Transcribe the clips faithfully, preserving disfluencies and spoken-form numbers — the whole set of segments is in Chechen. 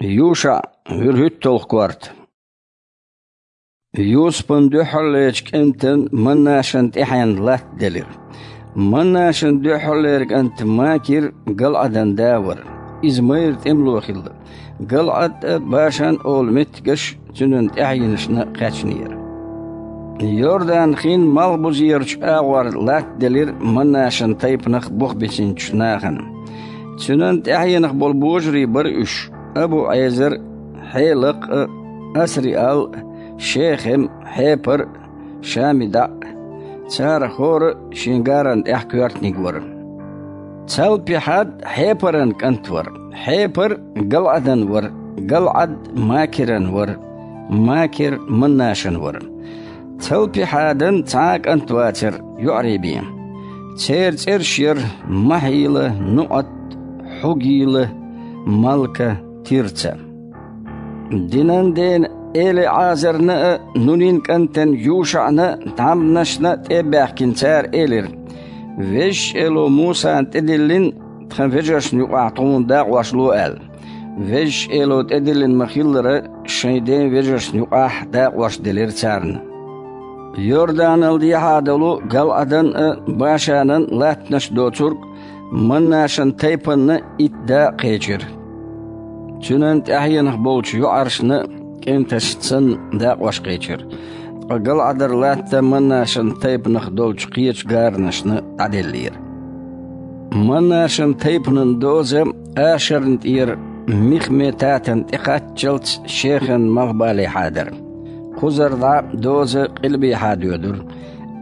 ЮшаӀ, вуьрхӀуьтталгӀа корта. Юсупан дуьххьарлерчу кӀентан Маннашан тӀаьхьенна латта делира. Маннашан дуьххьарлера кӀант Макир ГалӀадан да вара. Иза майра тӀемало хилла. ГалӀад а, Башан а олу меттигаш цуьнан тӀаьхьенашна кхаьчнера. Йордан-хин малхбузерачу агӀор латта делира Маннашан тайпанах бух бисинчу нахана. Цуьнан тӀаьхьенах болу божарий бара уьш: Абу-Ӏезар, Хьелакх а, Асриал а, Шехем а, Хьепар а, ШамидаӀ а. Царах хӀора а шен гаран тӀехь коьртаниг вара. Цалпихьад Хьепаран кӀант вара, Хьепар ГалӀадан вара, ГалӀад Макиран вара, Макир Маннашан вара. Цалпихьадан цхьа а кӀант вацара, йоӀарий бен. Церан цӀераш яра Махьила, НуӀат, Хьугила, Малка, Тирца. Динан дена ЭлиӀазарна а, Нунин кӀантана ЮшаӀна а, тхьамданашна а тӀе а баьхкина, цара элира: «Везачу Эло Мусана тӀедиллина тхан вежаршна юкъахь тхуна дакъош ло», — аьлла. Везачу Эло тӀедиллина ма-хиллара, шайн ден вежаршна юкъахь дакъош делира царна. Йорданал дехьа долу ГалӀадан а, Башанан а латтанаш доцург Маннашан тайпанна итт да а кхечира. Цуьнан тӀаьхьенах болчу йоӀаршна а кӀенташна санна дакъош кхечира. Ткъа ГалӀадара латта Маннашан тайпанах долчу кхечу гаранашна дӀаделлера. Маннашан тайпанан доза Ашарна тӀера Михметатана тӀекхаччалц Шехеман малхбалехьа дара. Кхузара дӀа доза къилбехьа доьдура,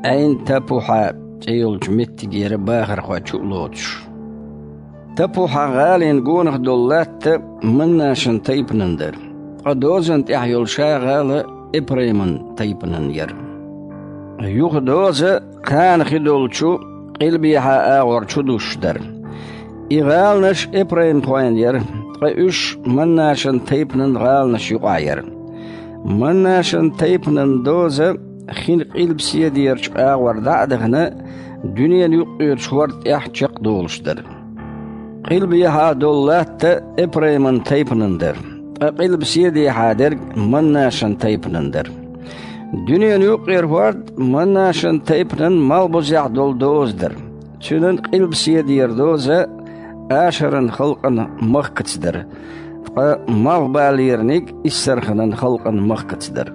Ӏайн-Тапухьа цӀе йолчу меттигера бахархой чу а лоцуш. Тапухьа-гӀалин гонах долу латта Маннашан тайпанан дара, ткъа дозан тӀехь йолу ша гӀала Эпрайман тайпанан яра. Юха доза Кхана хи долчу къилбехьа агӀор чу дуссуш дара. И гӀаланаш эпраймхойн яра, ткъа уьш Маннашан тайпанан гӀаланаш юкъахь яра. Маннашан тайпанан доза хин къилбаседерачу агӀор дӀа а дахана, дуьненан юккъерачу хӀорда тӀехь чекхдолуш дара. Къилбехьа долу латта эпрайман тайпанан дара, ткъа къилбаседехьа дерг Маннашан тайпанан дара. Дуьненан юккъера хӀорд Маннашан тайпанан малхбузехь долу доза дара. Цуьнан къилбаседера доза Ашаран халкъан махкаца дара, ткъа малхбалерниг Иссарханан халкъан махкаца дара.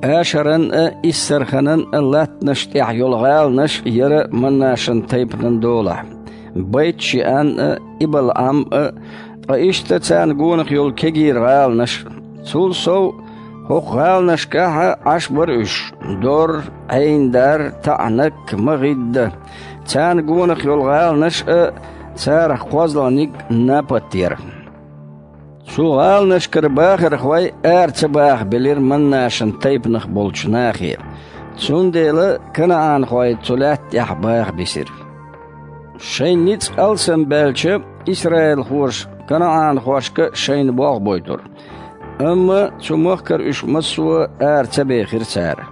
Ашаран а, Иссарханан а латтанаш тӀехь йолу гӀаланаш яра Маннашан тайпанан долахь: Байт-Шиан а, Ибал-Ӏам а, ткъа иштта царна гонах йолу кегийра гӀаланаш. Цул сов, хӀокху гӀаланашкахь а Ӏаш бара уьш: Дор, Ӏейндар, ТаӀнак, МагӀидда. Царна гонах йолу гӀаланаш а, царах кхозлагӀниг Напат яра. Цу гӀаланашкара бахархой ара ца баха белира Маннашан тайпанах болчу нахе, цундела канаӀанхой цу лаьтта тӀехь баха бисира. Шайн ницкъ алсам баьлча, исраилхоша канаӀанхошка шайна болх бойтура, амма цу махкара уьш массо а ара ца бехира цара.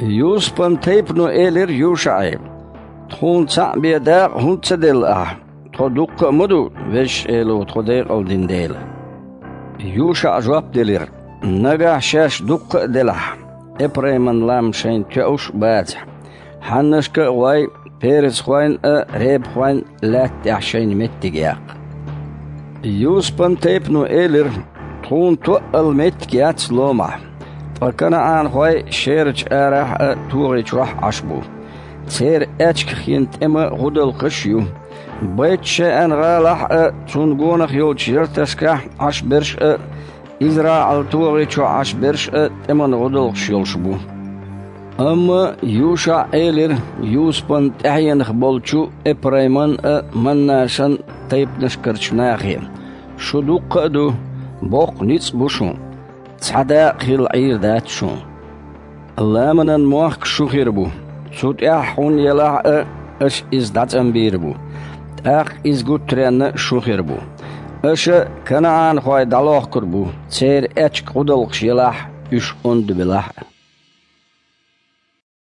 Юсупан тайпано элира ЮшаӀе: «Тхуна цхьаъ бен дакъа хӀунда ца делла ахьа? Тхо дуккха а ма ду, Везачу Эло тхо декъал дина дела». ЮшаӀа жоп делира: «Нагахь шаьш дуккха а делахь, эпрайман лам шайна тоьуш а бацахь, хьаннашка а гӀой, перезхойн а, репахойн а лаьтта тӀехь шайна меттиг яккха». Юсупан тайпано элира: «Тхуна тоъал меттиг яц ломахь, ткъа канаӀанхой шерачу арахь а, тогӀи чохь а Ӏаш бу. Церан аьчках йина тӀеман гӀудалкхаш а ю. Байт-Шеан-гӀалахь а, цунна гонах йолчу ярташкахь Ӏаш берш а, ИзраӀал тогӀи чохь Ӏаш берш а тӀеман гӀудалкхаш йолуш бу». Амма ЮшаӀа элира Юсупан тӀаьхьенах болчу эпрайман а, Маннашан а тайпанашкарчу нахе: «Шу дуккха а ду, боккха ницкъ бу шун. Цхьа дакъа хилла Ӏийр дац шун. Ламанан мохк шу хир бу. Цу тӀехь хьун елахь а, аша иза дӀацӀанбийр бу. ТӀаккха иза гуттаренна шу хир бу. Аша канаӀанхой дӀалохкур бу, церан аьчка гӀудалкхаш елахь а, уьш онда белахь а».